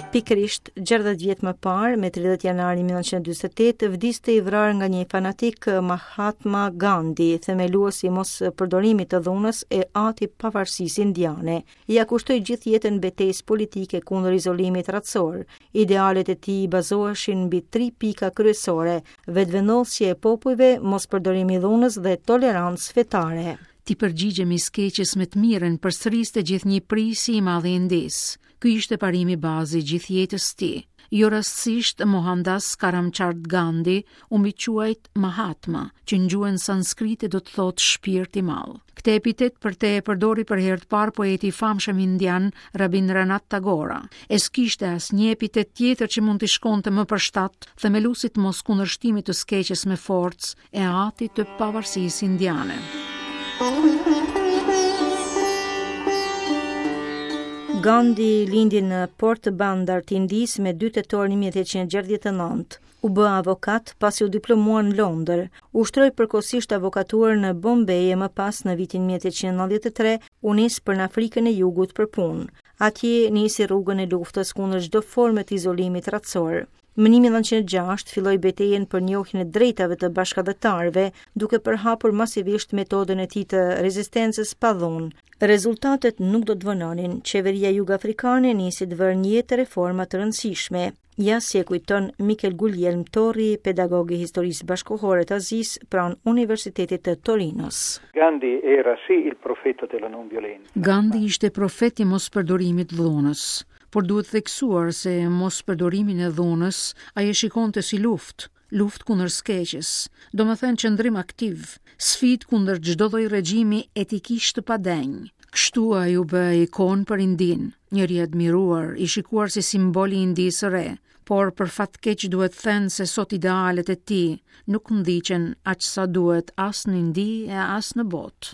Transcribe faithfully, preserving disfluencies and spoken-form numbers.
Pikërisht gjashtëdhjetë vjet më parë, me tridhjetë janar një mijë e nëntëqind e dyzet e tetë, vdiste i vrarë nga një fanatik Mahatma Gandhi, themeluesi i mos përdorimit të dhunës e ati pavarësisë indiane. Ia kushtoi gjithë jetën betejës politike kundër izolimit racor. Idealet e tij bazoheshin mbi tri pika kryesore: vetëvendosje e popujve, mos përdorimi i dhunës dhe tolerancë fetare. "T'i përgjigjemi së keqes me të mirën", përsëriste gjithnjë prisi i madh i Indisë. Ky ishte parimi bazë i gjithë jetës së tij. Jo rastësisht Mohandas Karamchand Gandhi u mbiquajt Mahatma, që në gjuhën sanskrite do të thotë shpirt i madh. Këtë epitet për te e përdori për herë të parë poeti i famshëm indian Rabindranath Tagore. E s'kishte asnjë epitet tjetër që mund t'i shkonte më për shtat themeluesit mos kundërshtimit të së keqes me forcë e atit të pavarësisë indiane. Gandhi lindi në Porbandar të Indisë me dy tetor një mijë e tetëqind e gjashtëdhjetë e nëntë. U bë avokat pasi u diplomua në Londër. Ushtroi përkohësisht avokaturën në Bombay e më pas në vitin një mijë e tetëqind e nëntëdhjetë e tre u nis për në Afrikën e Jugut për punë. Atje nisi rrugën e luftës kundër çdo forme të izolimit racor. Më një mijë e nëntëqind e gjashtë filloi betejën për njohjen e drejtave të bashkatdhetarëve, duke përhapur masivisht metodën e tij të rezistencës pa dhunë. Rezultatet nuk do të vononin. Qeveria jugafrikane nisi të vërë në jetë reforma të rëndësishme. Ja si e kujton Mikel Guglielm Torri, pedagog i historisë bashkëkohore të Azisë pranë Universitetit të Torinos. Gandhi era sì il profeta della non violenza. Gandhi ishte profet i mospërdorimit dhunës, por duhet theksuar se mospërdorimin e dhunës ai e shikonte si luftë, luftë kundër së keqes, do më thënë qëndrim aktiv, sfidë kundër çdo lloj regjimi etikisht të padenjë. Kështu ai u bë ikonë për Indinë, njeri i admiruar, i shikuar si simbol i Indisë së re, por për fat keq duhet thënë se sot idealet e tij nuk ndiqen aq sa duhet as në Indi e as në botë.